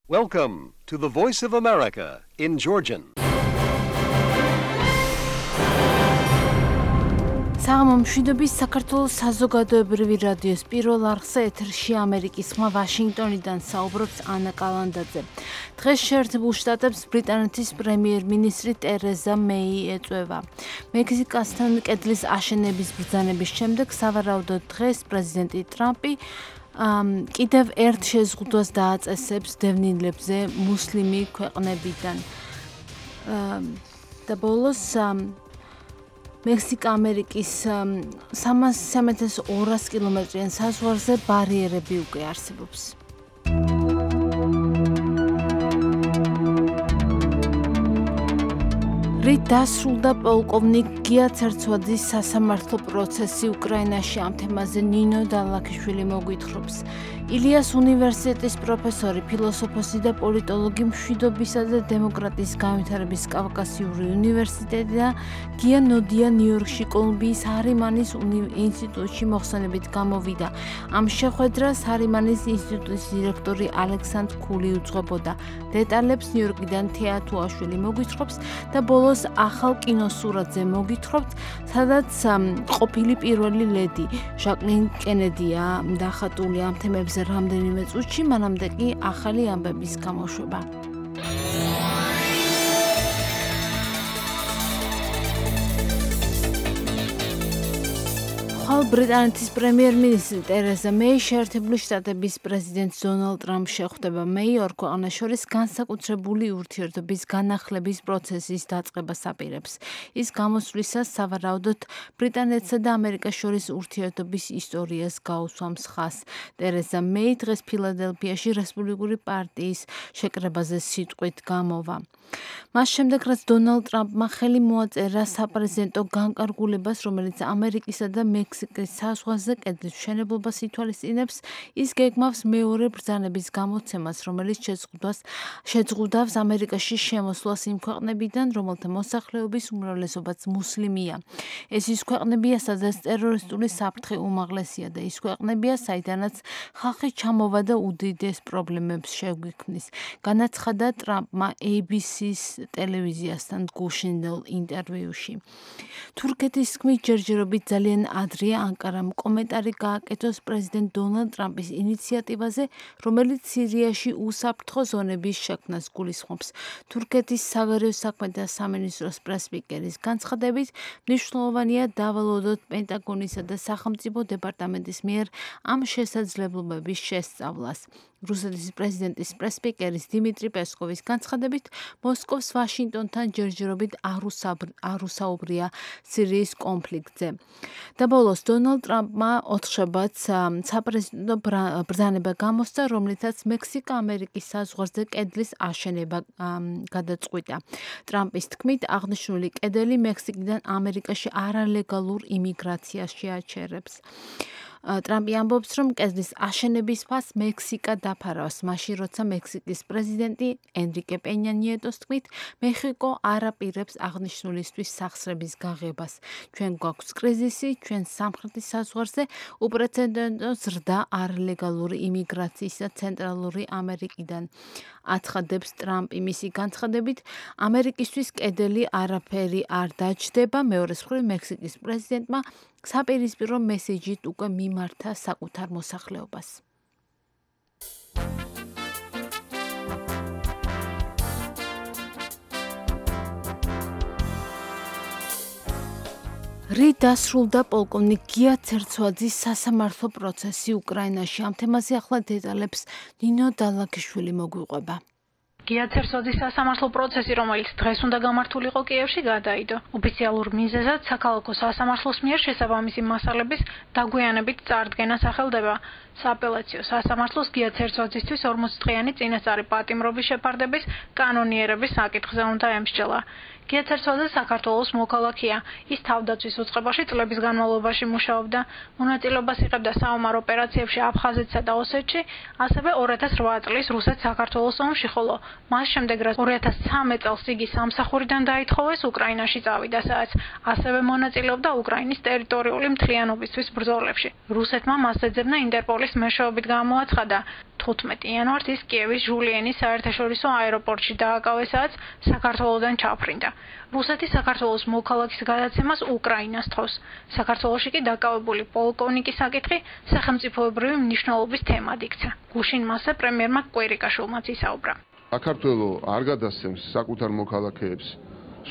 Welcome to the Voice of America in Georgian. სამომშვიდობის საქართველოს საზოგადოებრივი რადიოს პირველ არხზე ეთერში ამერიკის ხმა ვაშინგტონიდან საუბრობს ანა კალანდაძე. დღეს შეერთებულ შტატებს ბრიტანეთის პრემიერ-მინისტრი ტერეზა მეი ეწვევა. მექსიკასთან კედლის აშენების ბრძანების შემდეგ სავარაუდოდ დღეს პრეზიდენტი ტრამპი კიდევ ერთ შეზღუდვას დააწესებს დევნილებზე მუსლიმი ქვეყნებიდან. და ბოლოს მექსიკა-ამერიკის 300-200 კილომეტრიან საზღვარზე ბარიერები უკვე არსებობს. რით დასრულდა პოლკოვნიკ გია ცერცვაძის სასამართლო პროცესი უკრაინაში ამ თემაზე ნინო დალაქიშვილი მოგვითხრობს. ილიას უნივერსიტეტის პროფესორი, ფილოსოფოსი და პოლიტოლოგი მშვიდობისა და დემოკრატიის განვითარების კავკასიური უნივერსიტეტი და გია ნოდია ნიუ-იორკში კოლუმბიის ჰარიმანის ინსტიტუტში მოხსენებით გამოვიდა. ამ შეხვედრას ჰარიმანის ინსტიტუტის დირექტორი ალექსანდრ ქული უძღვებოდა. დეტალებს ნიუ-იორკიდან თეა თუაშვილი მოგვითხრობს და ბოლოს ახალ კინოსურათზე მოგითხრობთ, სადაც ყოფილი პირველი ლედი ჟაკლინ კენედია დახატული ამ თემებზე რამდენიმე წუთში, მანამდე კი ახალი ამბების გამოშვება. ბრიტანეთის პრემიერ-მინისტრი ტერეზა მეი შეერთებული შტატების პრეზიდენტ დონალდ ტრამპს შეხვდება. მეი ორ ქვეყანას შორის განსაკუთრებული ურთიერთობის განახლების პროცესის დაწყებას აპირებს. ის გამოსვლისას სავარაუდოდ ბრიტანეთსა და ამერიკას შორის ურთიერთობის ისტორიას გაუსვამს ხაზს. ტერეზა მეი დღეს ფილადელფიაში რესპუბლიკური პარტიის შეკრებაზე სიტყვით გამოვა. მას შემდეგ, რაც დონალდ ტრამპმა ხელი მოაწერა საპრეზიდენტო განკარგულებას, რომელიც ამერიკისა და მექსიკის საზღვარზე კედლის მშენებლობას ითვალისწინებს, ის გეგმავს მეორე ბრძანების გამოცემას, რომელიც შეძღუდავს ამერიკაში შემოსვლას იმ ქვეყნებიდან, რომელთა მოსახლეობის უმრავლესობაც მუსლიმია. ეს ის ქვეყნებია, სადაც ტერორისტული საფრთხე უმაღლესია და ის ქვეყნებია, საიდანაც ხალხი ჩამოვა და უდიდეს პრობლემებს შეგვიქმნის. განაცხადა ტრამპმა ABC-ის ტელევიზიასთან გუშინდელ ინტერვიუში. თურქეთის თქმით, ჯერჯერობით ძალიან ადრეა ანკარამ კომენტარი გააკეთოს პრეზიდენტ დონალდ ტრამპის ინიციატივაზე, რომელიც სირიაში უსაფრთხო ზონების შექმნას გულისხმობს. თურქეთის საგარეო საქმეთა სამინისტროს პრესპიკერის განცხადებით, მნიშვნელოვანია დავალოდოთ პენტაგონისა და სახელმწიფო დეპარტამენტის მიერ ამ შესაძლებლობების შესწავლას. რუსეთის პრეზიდენტის პრესპიკერის დიმიტრი პესკოვის განცხადებით, მოსკოვს ვაშინგტონთან ჯერჯერობით არ უსაუბრია სირიის კონფლიქტზე. და ბოლოს დონალდ ტრამპმა ოთხშაბათს საპრეზიდენტო ბრძანება გამოსცა, რომლითაც მექსიკა-ამერიკის საზღვარზე კედლის აშენება გადაწყვიტა. ტრამპის თქმით, აღნიშნული კედელი მექსიკიდან ამერიკაში არალეგალურ იმიგრაციას შეაჩერებს. ტრამპი ამბობს, რომ კედლის აშენების ფასს მექსიკა დაფარავს, მაშინ როცა მექსიკის პრეზიდენტი ენრიკე პენია ნიეტოს თქმით, მეხიკო არ აპირებს აღნიშნულისთვის სახსრების გაღებას. ჩვენ გვაქვს კრიზისი, ჩვენ სამხრეთის საზღვარზე უპრეცედენტო ზრდა არლეგალური იმიგრაციისა ცენტრალური ამერიკიდან. აცხადებს ტრამპი მისი განცხადებით, ამერიკისთვის კედელი არაფერი არ დაჯდება. მეორეს მხრივ მექსიკის პრეზიდენტმა საპირისპირო მესეჯით უკვე მიმართა საკუთარ მოსახლეობას. რით დასრულდა პოლკოვნიკ გია ცერცვაძის სასამართლო პროცესი უკრაინაში? ამ თემაზე ახლა დეტალებს ნინო დალაქიშვილი მოგვიყვება. გია ცერცვაძის სასამართლო პროცესი, რომელიც დღეს უნდა გამართულიყო კიევში, გადაიდო. ოფიციალურ მიზეზად საქალაქო სასამართლოს მიერ შესაბამისი მასალების დაგვიანებით წარდგენა სახელდება. სააპელაციო სასამართლოს გია ცერცვაძისთვის 40 დღიანი წინასწარი პატიმრობის შეფარდების კანონიერების საკითხზე უნდა ემსჯელა. გია ცერცვაძე საქართველოს მოქალაქეა. ის თავდაცვის უწყებაში წლების განმავლობაში მუშაობდა. მონაწილეობას იღებდა საომარ ოპერაციებში აფხაზეთსა და ოსეთში, ასევე 2008 წლის რუსეთ-საქართველოს ომში, ხოლო მას შემდეგ, რაც 2013 წელს იგი სამსახურიდან დაითხოვეს, უკრაინაში წავიდა, სადაც ასევე მონაწილეობდა უკრაინის ტერიტორიული მთლიანობისთვის ბრძოლებში. რუსეთმა მას ეძებნა ინტერპოლის მეშვეობით გამოაცხადა. 15 იანვარს ის კიევის ჟულიანის საერთაშორისო აეროპორტში დააკავეს, საქართველოსდან ჩაფრინდა. რუსეთი საქართველოს მოქალაქის გადაცემას უკრაინას თხოვს. საქართველოში კი დაკავებული პოლკოვნიკის საკითხი სახელმწიფოებრივი მნიშვნელობის თემად იქცა. გუშინ მასზე პრემიერმა კვირიკაშვილმაც ისაუბრა. საქართველო არ გადასცემს საკუთარ მოქალაქეებს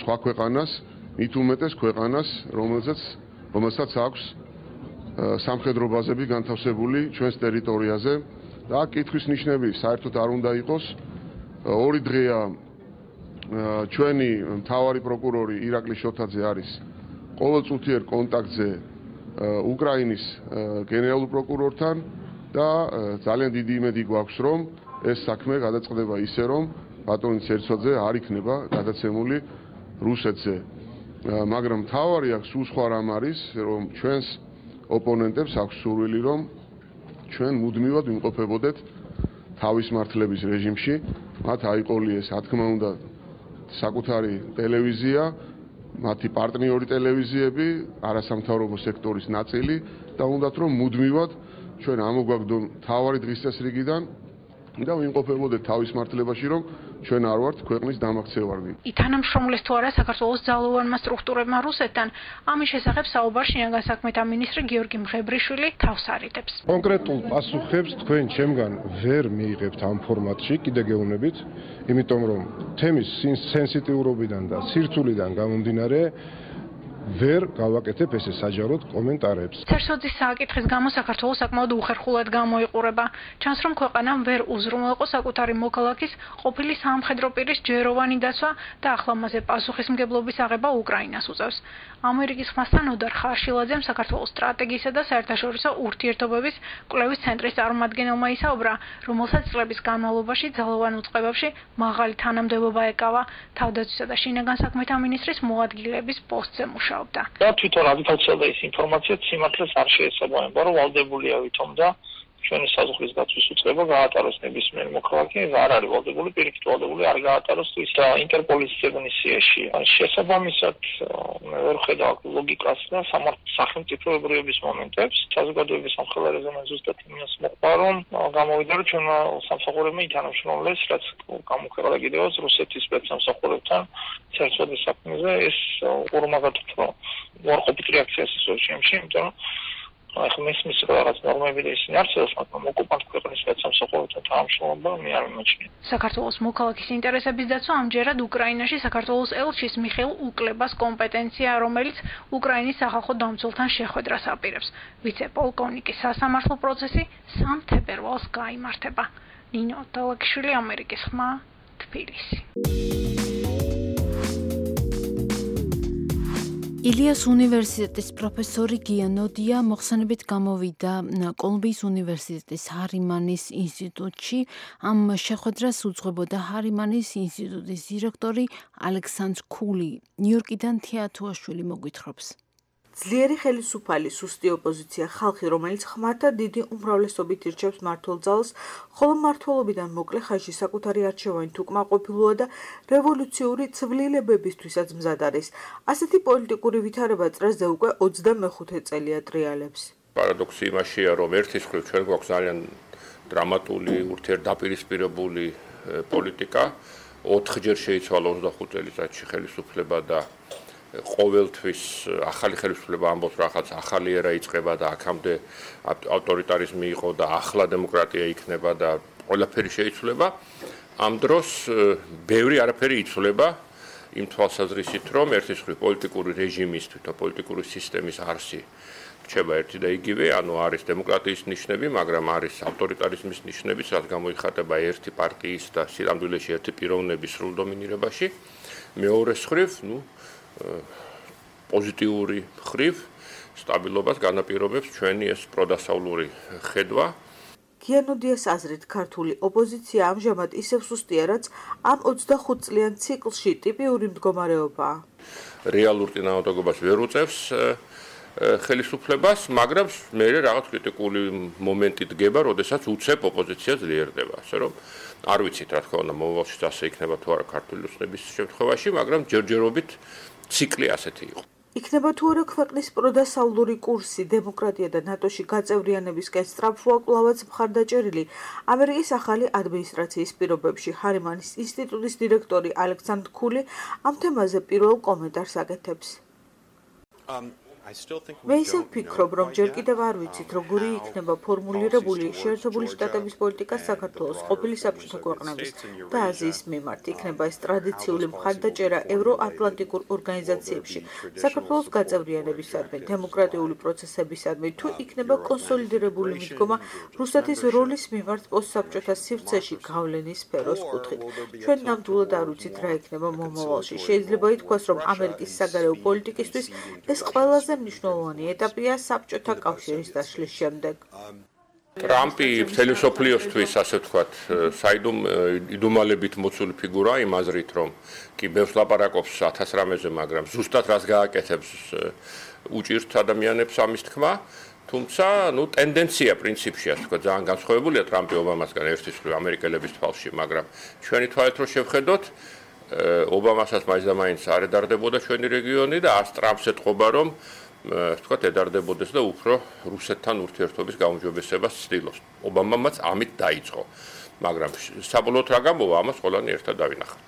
სხვა ქვეყანას, მით უმეტეს ქვეყანას, რომელსაც აქვს სამხედრო ბაზები განთავსებული ჩვენს ტერიტორიაზე და აქ კითხვის ნიშნები საერთოდ არ უნდა იყოს. ორი დღეა ჩვენი მთავარი პროკურორი ირაკლი შოთაძე არის ყოველწუთიერ კონტაქტზე უკრაინის გენერალურ პროკურორთან და ძალიან დიდი იმედი გვაქვს, რომ ეს საქმე გადაწყდება ისე, რომ ბატონი ცერცვაძე არ იქნება გადაცემული რუსეთზე. მაგრამ მთავარი აქ სულ სხვა რამ არის, რომ ჩვენს ოპონენტებს აქვს სურვილი, რომ ჩვენ მუდმივად ვიმყოფებოდეთ თავის მართლების რეჟიმში, მათ აიყოლიეს, რა თქმა უნდა, საკუთარი ტელევიზია, მათი პარტნიორი ტელევიზიები, არასამთავრობო სექტორის ნაწილი და უნდათ რომ მუდმივად ჩვენ ამოგვაგდონ თავარი დღის წესრიგიდან და ვიმყოფებოდეთ თავის მართლებაში, რომ ჩვენ არ ვართ ქვეყნის დამაქცევარნი. ითანამშრომლეს თუ არა საქართველოს ძალოვანმა სტრუქტურებმა რუსეთთან, ამის შესახებ საუბარ შინაგან საქმეთა მინისტრი გიორგი მღებრიშვილი თავს არიდებს. კონკრეტულ პასუხებს თქვენ ჩემგან ვერ მიიღებთ ამ ფორმატში, კიდე გეუბნებით, იმიტომ რომ თემის სენსიტიურობიდან და სირთულიდან გამომდინარე ვერ გავაკეთებ ესე საჯაროდ კომენტარებს. ცერცვაძის საკითხის გამო საქართველოს საკმაოდ უხერხულად გამოიყურება. ჩანს, რომ ქვეყანამ ვერ უზრუნველყო საკუთარი მოქალაქის ყოფილი სამხედრო პირის ჯეროვანი დაცვა და ახლა მასზე პასუხისმგებლობის აღება უკრაინას უწევს. ამერიკის ხმასთან ოდარ ხარშილაძემ საქართველოს სტრატეგიისა და საერთაშორისო ურთიერთობების კვლევის ცენტრის წარმომადგენელმა ისაუბრა, რომელსაც წლების განმავლობაში ძალოვან უწყებებში მაღალი თანამდებობა ეკავა, თავდაცვისა და შინაგან საქმეთა მინისტრის მოადგილეების პოსტზე მუშაობდა. და თვითონ აგიტაცია და ის ინფორმაცია სიმართლეს არ შეესაბამება, რომ ვალდებულია ვითომ და ჩვენი საზღვრის დაცვის უწყება გაატაროს ნებისმიერ მოქალაქე, არ არის ვალდებული, პირიქით ვალდებული არ გაატაროს ის და ინტერპოლის ზეგნისიაში. შესაბამისად, მე ვერ ხედავ ლოგიკას და სახელმწიფოებრიობის მომენტებს, საზოგადოების სამხელარეზე მე ზუსტად იმას მოყვარ, რომ გამოვიდა, რომ ჩვენ სამსახურებმა ითანამშრომლეს, რაც გამოხერხდა კიდევაც რუსეთის სპეცსამსახურებთან ცერცვაძის საქმეზე, ეს ურმაგად უფრო უარყოფით რეაქციას ისევ შემში, იმიტომ რომ ახლა მის რაღაც ნორმები და ისინი არსებობს, მაგრამ ოკუპანტ ქვეყნის სპეცსამსახურებთან თანამშრომლობა მე არ მიმაჩნია. საქართველოს მოქალაქის ინტერესების დაცვა ამჯერად უკრაინაში საქართველოს ელჩის მიხეილ უკლებას კომპეტენცია, რომელიც უკრაინის სახალხო დამცველთან შეხვედრას აპირებს. ვიცე-პოლკოვნიკის სასამართლო პროცესი 3 თებერვალს გაიმართება. ნინო დალაგიშვილი, ამერიკის ხმა, თბილისი. ილიას უნივერსიტეტის პროფესორი გია ნოდია მოხსენებით გამოვიდა კოლუმბიის უნივერსიტეტის ჰარიმანის ინსტიტუტში. ამ შეხვედრას უძღვებოდა ჰარიმანის ინსტიტუტის დირექტორი ალექსანდრ ქული. ნიუ-იორკიდან თეატუაშვილი მოგვითხრობს. ძლიერი ხელისუფალი, სუსტი ოპოზიცია, ხალხი, რომელიც ხმათა დიდი უმრავლესობით ირჩევს მმართველ ძალას, ხოლო მმართველობიდან მოკლე ხანში საკუთარი არჩევანი თუ კმაყოფილოა და რევოლუციური ცვლილებებისთვისაც მზად არის. ასეთი პოლიტიკური ვითარება წრეზე უკვე 25 წელია ტრიალებს. პარადოქსი იმაშია, რომ ერთის მხრივ ჩვენ გვაქვს ძალიან დრამატული, ურთიერთდაპირისპირებული პოლიტიკა, 4ჯერ შეიცვალა 25 წელიწადში ხელისუფლება და ყოველთვის ახალი ხელისუფლება ამბობს რაღაც ახალი ერა იწყება და აქამდე ავტორიტარიზმი იყო და ახლა დემოკრატია იქნება და ყველაფერი შეიცვლება. ამ დროს ბევრი არაფერი იცვლება იმ თვალსაზრისით, რომ ერთის მხრივ პოლიტიკური რეჟიმის, თვითონ პოლიტიკური სისტემის არსი რჩება ერთი და იგივე, ანუ არის დემოკრატიის ნიშნები, მაგრამ არის ავტორიტარიზმის ნიშნები, რაც გამოიხატება ერთი პარტიის და სინამდვილეში ერთი პიროვნების სრულ დომინირებაში. მეორეს მხრივ, პოზიტიური მხრივ სტაბილობას განაპირობებს ჩვენი ეს პროდასავლური ხედვა. გია ნოდიას აზრით, ქართული ოპოზიცია ამჟამად ისევ სუსტია, რაც ამ 25 წლიან ციკლში ტიპიური მდგომარეობაა. რეალურ წინააღმდეგობას ვერ უწევს ხელისუფლებას, მაგრამ მე რაღაც კრიტიკული მომენტი დგება, როდესაც უცებ ოპოზიცია ძლიერდება. ასე რომ არ ვიცით, რა თქმა უნდა, მომავალში ასე იქნება თუ არა ქართული ოცნების შემთხვევაში, მაგრამ ჯერჯერობით ციკლი ასეთი იყო. იქნება თუ არა ქვეყნის პროდასავლური კურსი დემოკრატია და ნატოში გაწევრიანებისკენ სწრაფვაკვლავაც მხარდაჭერილი, ამერიკის ახალი ადმინისტრაციის პირობებში ჰარიმანის ინსტიტუტის დირექტორი ალექსანდრ ქული ამ თემაზე პირველ კომენტარს აკეთებს. მე ისევ ვფიქრობ, რომ ჯერ კიდევ არ ვიცით, როგორი იქნება ფორმულირებული შეერთებული შტატების პოლიტიკა საქართველოს, ყოფილი საბჭოთა ქვეყნების და აზიის მიმართ. იქნება ეს ტრადიციული მხარდაჭერა ევროატლანტიკურ ორგანიზაციებში, საქართველოს გაწევრიანებისადმი, დემოკრატიული პროცესებისადმი, თუ იქნება კონსოლიდირებული მიდგომა რუსეთის როლის მიმართ პოსტსაბჭოთა სივრცეში გავლენის სფეროს კუთხით. ჩვენ ნამდვილად არ ვიცით, რა იქნება მომავალში. შეიძლება ითქვას, რომ ამერიკის საგარეო პოლიტიკისთვის ეს ყველაზე მნიშვნელოვანი ეტაპია საბჭოთა კავშირის დაშლის შემდეგ. ტრამპი მთელი მსოფლიოსთვის, ასე ვთქვათ, საიდუმალებით მოცული ფიგურა იმ აზრით, რომ კი ბევრს ლაპარაკობს 1000 რამეზე, მაგრამ ზუსტად რას გააკეთებს უჭირთ ადამიანებს ამის თქმა. თუმცა, ტენდენცია პრინციპში, ასე ვთქვათ, ძალიან განსხვავებულია ტრამპი ობამასგან ერთის მხრივ ამერიკელების თვალში, მაგრამ ჩვენი თვალით რო შევხედოთ, ობამასაც მაინც და მაინც არ ედარდებოდა ჩვენი რეგიონი და არც ტრამპს ეთყობა, რომ ვთქვათ, ედარდებოდეს და უფრო რუსეთთან ურთიერთობის გაუმჯობესებას ცდილობს. ობამამაც ამით დაიწყო, მაგრამ საბოლოოდ რა გამოვა, ამას ყველანი ერთად დავინახავთ.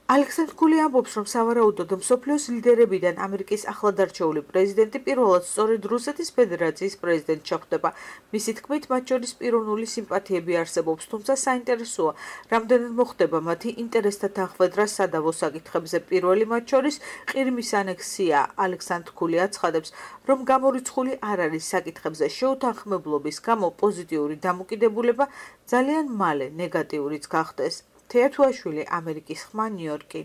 ალექსანდრ ქული ამბობს, რომ სავარაუდოდ მსოფლიოს ლიდერებიდან ამერიკის ახლადარჩეული პრეზიდენტი პირველად სწორედ რუსეთის ფედერაციის პრეზიდენტი შეხვდება. მისი თქმით, მათ შორის პიროვნული სიმპათიები არსებობს, თუმცა საინტერესოა, რამდენად მოხდება მათი ინტერესთა დახვედრა სადავო საკითხებზე. პირველი მათ შორის ყირიმის ანექსია. ალექსანდრ ქული აცხადებს, რომ გამორიცხული არ არის საკითხებზე შეუთანხმებლობის გამო პოზიტიური დამოკიდებულება ძალიან მალე ნეგატიურიც გახდეს. თეათუაშვილი, ამერიკის ხმა, ნიუ-იორკი.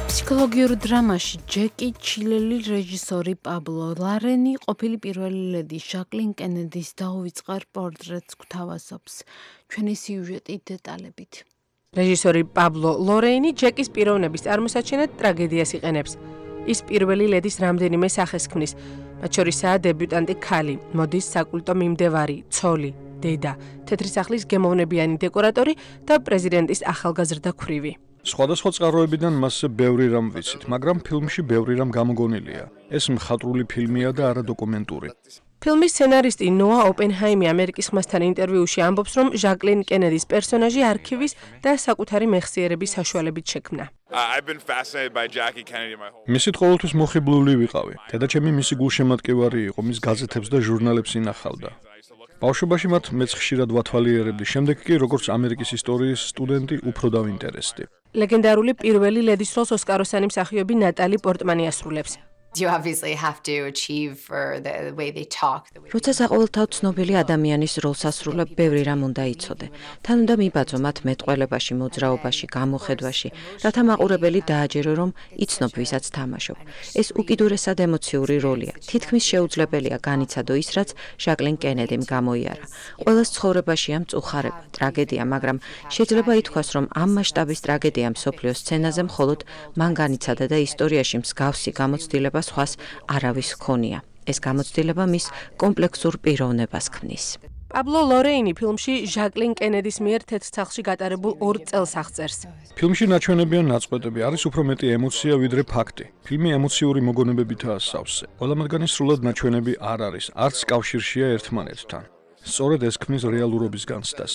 ფსიქოლოგიურ დრამაში ჯეკი ჩილელი რეჟისორი პაბლო ლარენი ყოფილი პირველი ლედი ჟაკლინ კენედის დაუვიწყარ პორტრეტს გვთავაზობს. ჩვენი სიუჟეტი დეტალებით. რეჟისორი პაბლო ლორეინი ჯეკის პიროვნების წარმოსაჩენად ტრაგედიას იყენებს. ის პირველი ლედის რამდენიმე სახეს ქმნის, მათ შორისაა დებიუტანტი ქალი, მოდის საკულტო მიმდევარი, ცოლი, დედა, თეთრი სახლის გემოვნებიანი დეკორატორი და პრეზიდენტის ახალგაზრდა ქვრივი. სხვადასხვა წყაროებიდან მასზე ბევრი რამ ვიცით, მაგრამ ფილმში ბევრი რამ გამოგონილია. ეს მხატვრული ფილმია და არა დოკუმენტური. ფილმის სცენარისტი ნოა ოპენჰაიმი ამერიკის ხმასთან ინტერვიუში ამბობს, რომ ჟაკლინ კენედის პერსონაჟი არქივის და საკუთარი მეხსიერების საშუალებით შექმნა. მისით ყოველთვის მოხიბლული ვიყავი. დედაჩემი მისი გულშემატკივარი იყო, მის გაზეთებს და ჟურნალებს ინახავდა. ბავშვობაში მათ მეც ხშირად ვათვალიერებდი, შემდეგ კი როგორც ამერიკის ისტორიის სტუდენტი უფრო დავინტერესდი. ლეგენდარული პირველი ლედის როლს ოსკაროსანი მსახიობი ნატალი პორტმანი ასრულებს. როცა საყოველთაოდ ცნობილი ადამიანის როლს ასრულებ, ბევრი რამ უნდა იცოდე. თან უნდა მიბაძო მათ მეტყველებაში, მოძრაობაში, გამოხედვაში, რათა მაყურებელი დააჯერო, რომ იცნობ, ვისაც თამაშობ. ეს უკიდურესად ემოციური როლია. თითქმის შეუძლებელია განიცადო ის, რაც ჟაკლინ კენედიმ გამოიარა. ყველას ცხოვრებაშია მწუხარება, ტრაგედია, მაგრამ შეიძლება ითქვას, რომ ამ მასშტაბის ტრაგედია მსოფლიოს სცენაზე მხოლოდ მან განიცადა და ისტორიაში მსგავსი გამოცდილება სხვას არავის ჰქონია. ეს გამოცდილება მის კომპლექსურ პიროვნებას ქმნის. პაბლო ლორეინი ფილმში ჟაკლინ კენედის მიერ თეთრ სახლში გატარებულ 2 წელს აღწერს. ფილმში ნაჩვენებიან ნაწყვეტები, არის უფრო მეტი ემოცია ვიდრე ფაქტი. ფილმი ემოციური მოგონებებითაა სავსე. ყველა მათგანი სრულად ნაჩვენები არ არის, არც კავშირშია ერთმანეთთან. სწორედ ეს ქმნის რეალურობის განცდას.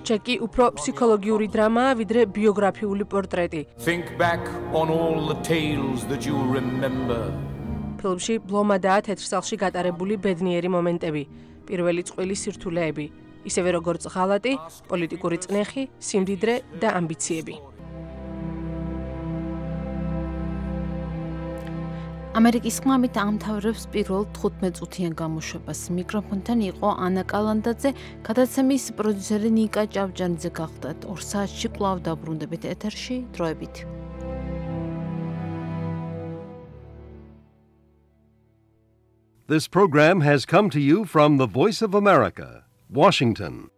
ჯეკი უფრო ფსიქოლოგიური დრამაა, ვიდრე ბიოგრაფიული პორტრეტი. ფილმში ბლომადაა თეთრ სახლში გატარებული ბედნიერი მომენტები, პირველი წყვილი სირთულეები, ისევე როგორც ღალატი, პოლიტიკური წნეხი, სიმდიდრე და ამბიციები. ამერიკის ხმამით ამთავრებს პირველ 15 წუთიან გამოშვებას. მიკროფონთან იყო ანა კალანდაძე, გადაცემის პროდიუსერი ნიკა ჭავჭანიძე გახდათ. 2 საათში კვლავ დაბრუნდებით ეთერში, დროებით. This program has come to you from the Voice of America, Washington.